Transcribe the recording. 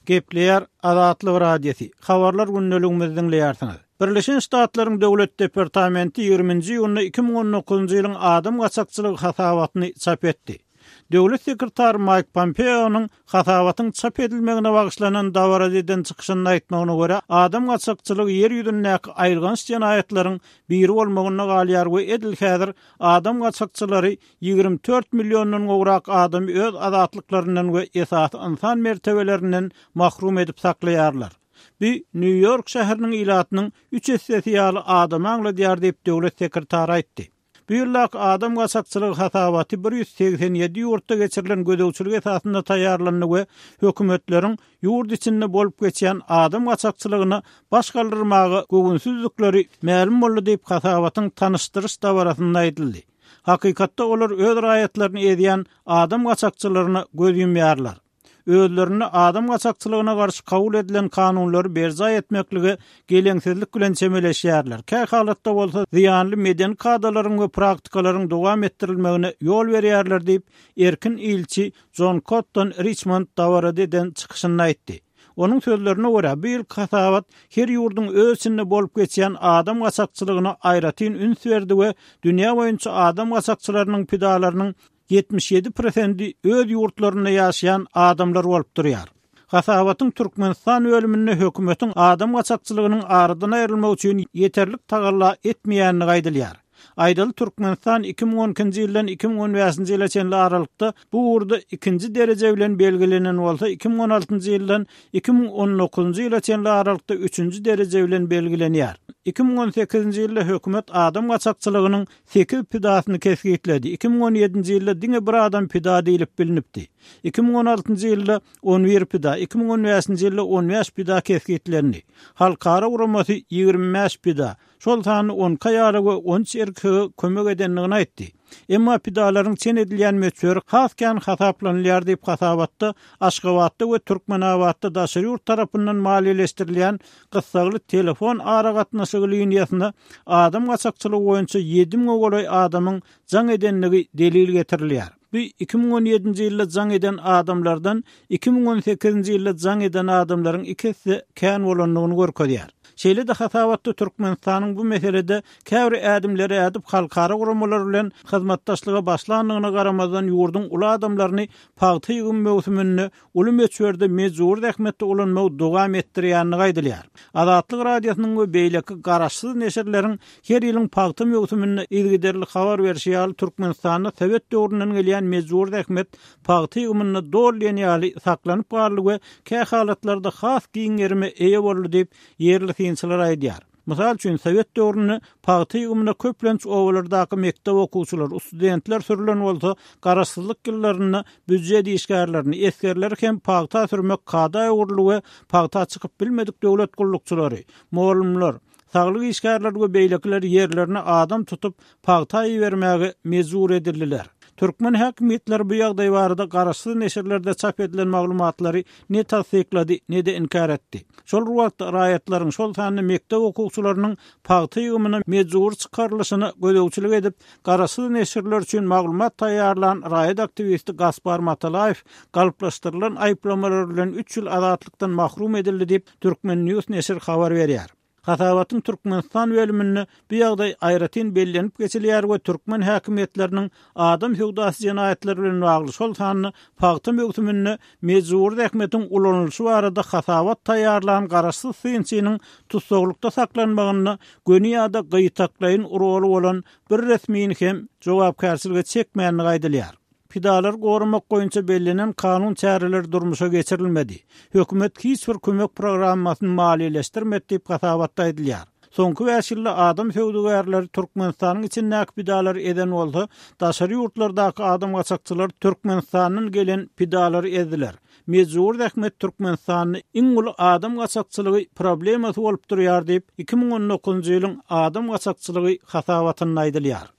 Gepleýär Azatlyk Radiosy, Habarlar gündeligimizi diňleýärsiňiz. Birleşen Ştatlaryň Döwlet departamenti ýigriminji iýunda 2019-njy ýylyň adam gaçakçylygy hasabatyny çap etdi. Döwlet sekretary Maýk Pompeonyň hasabatyň çap edilmegine bagyşlanan dabarada eden çykyşynda aýtmagyna görä, adam gaçakçylygy ýer ýüzündäki aýylganç jenaýatlaryň biri bolmagynda galýar we edil häzir adam gaçakçylary 24 milliondan gowrak adamy öz azatlyklaryndan we esasy ynsan mertebelerinden mahrum edip saklaýarlar. Bu Nýu-Ýork şäheriniň ilatynyň üç essesi ýaly adamy aňladýar diýip, döwlet sekretary aýtdy. Bu ýyldaky adam gaçakçylygy hasabaty 187 ýurtda geçirilen gözegçilik esasynda taýýarlandy we hökümetleriň ýurt içinde bolup geçýän adam gaçakçylygyna baş galdyrmaga göwünsizdikleri mälim boldy diýip, hasabatyň tanyşdyryş dabarasynda aýdyldy. Hakykatda olar öz raýatlaryny ezýän adam gaçakçylaryna göz ýumýarlar. Özlerinde adam gaçakçylygyna garşy kabul edilen kanunlary berjaý etmeklige geleňsizlik bilen çemeleşýärler, kä halatda bolsa zyýanly medeni kadalaryň we praktikalaryň dowam etdirilmegine ýol berýärler diýip, erkin ilçi Jon Kotton Riçmond dabarada eden çykyşynda aýtdy. Onuň sözlerine görä, bu ýylky hasabat her ýurduň öz içinde bolup geçýän adam gaçakçylygyna aýratyn üns berdi we dünýä boýunça adam gaçakçylarynyň pidalarynyň 77 prosendi öz ýurtlarynda ýaşaýan adamlar bolup durýar. Hasabatyň Türkmenistan bölüminde hökümetiň adam gaçakçylygynyň aradan aýrylmagy üçin ýeterlik tagalla etmeýändigi aýdylýar. Aýdaly, Türkmenistan 2012-nji ýyldan 2015-nji ýyla çenli aralykda bu ugurda ikinji dereje bilen belgilenen bolsa, 2016-njy ýyldan 2019-njy ýyla çenli aralykda üçünji dereje bilen belgilenýär. 2018-nji ýylda hökümet adam gaçakçylygynyň sekiz pidasyny kesgitledi, 2017-nji ýylda diňe bir adam pida diýlip bilnipdi. 2016-njy ýylda on bir pida, 2015-nji ýylda on bäş pida kesgitlendi. Halkara guramasy 25 pida, şol sanda on iki aýala we on üç erkege kömek edendigini aýtdy. Emma pidalaryň çen edilýän möçberi has kän hasaplanylýar diýip, hasabatda Aşgabatda we Türkmenabatda daşary ýurt tarapyndan maliýeleşdirilýän gyssagly telefon aragatnaşygy liniýasyna adam gaçakçylygy boýunça ýedi müňe golaý adamyň jaň edendigi delil getirilýär. Bu 2017-nji ýylda jaň eden adamlardan 2018-nji ýylda jaň eden adamlaryň iki esse kän bolandygyny görkezýär. Şeýle-de hasabatda Türkmenistanyň bu meselede käbir ädimleri ädip, halkara guramalar bilen hyzmatdaşlyga başlandygyna garamazdan ýurduň uly adamlaryny pagta ýygym möwsüminde uly möçberde mejbury zähmetde ulanmagy dowam etdirýändigi aýdylýar. Azatlyk Radiosynyň we beýleki garaşsyz neşirleriň her ýylyň pagta möwsüminde yzygiderli habar berşi ýaly, Türkmenistanda sowet döwründen gelýän mejbury zähmet pagta ýygymynda doly diýen ýaly saklanyp galdy we kähalatlarda has giň gerime eýe boldy diýip, ýerli synçylar aýdýar. Mysal üçin, sowet döwründe pagta ýygymyna köplenç obalardaky mekdep okuwçylary, studentler sürlen bolsa, garaşsyzlyk ýyllarynda býujet işgärlerini, esgerleri hem pagta sürmek kada öwrüldi we pagta çykyp bilmedik döwlet gullukçylary, mugallymlar, saglyk işgärleri we beýlekiler ýerlerine adam tutup, pagta ibermäge mejbur edildiler. Türkmen häkimiýetleri bu ýagdaý barada garaşsyz neşirlerde çap edilen maglumatlary ne tassyklady, ne-de inkär etdi. Şol bir wagtda, raýatlaryň, şol sanda mekdep okuwçylarynyň pagta ýygymyna mejbury çykarylyşyna gözegçilik edip, garaşsyz neşirler üçin maglumat taýýarlan raýat aktiwisti Gaspar Matalaýew galplaşdyrylan aýyplamalar bilen üç ýyl azatlykdan mahrum edildi diýip, Turkmen. News neşiri habar berýär. Hasabatyň Türkmenistan bölüminde bu ýagdaý aýratyn bellenip geçilýär we türkmen häkimiýetleriniň adam söwdasy jenaýatlary bilen bagly, şol sanda pagta möwsüminde mejbury zähmetiň ulanylyşy barada hasabat taýýarlan garaşsyz synçynyň tussaglykda saklanmagynda göni ýa-da gytaklaýyn roly bolan bir resmini hem jogapkärçilige çekmändigi aýdylýar. Pidalary goramak boýunça bellenen kanun çäreleri durmuşa geçirilmedi. Hökümet hiç bir kömek programmasyny maliýeleşdirmedi diýip, hasabatda aýdylýar. Soňky bäş ýylda adam söwdagärleri Türkmenistanyň içindäki pidalary ezen bolsa, daşary ýurtlardaky adam gaçakçylary Türkmenistandan gelen pidalary ezdiler. Mejbury zähmet Türkmenistanda iň uly adam gaçakçylygy problemasy bolup durýar diýip, 2019-njy ýylyň adam gaçakçylygy hasabatynda aýdylýar.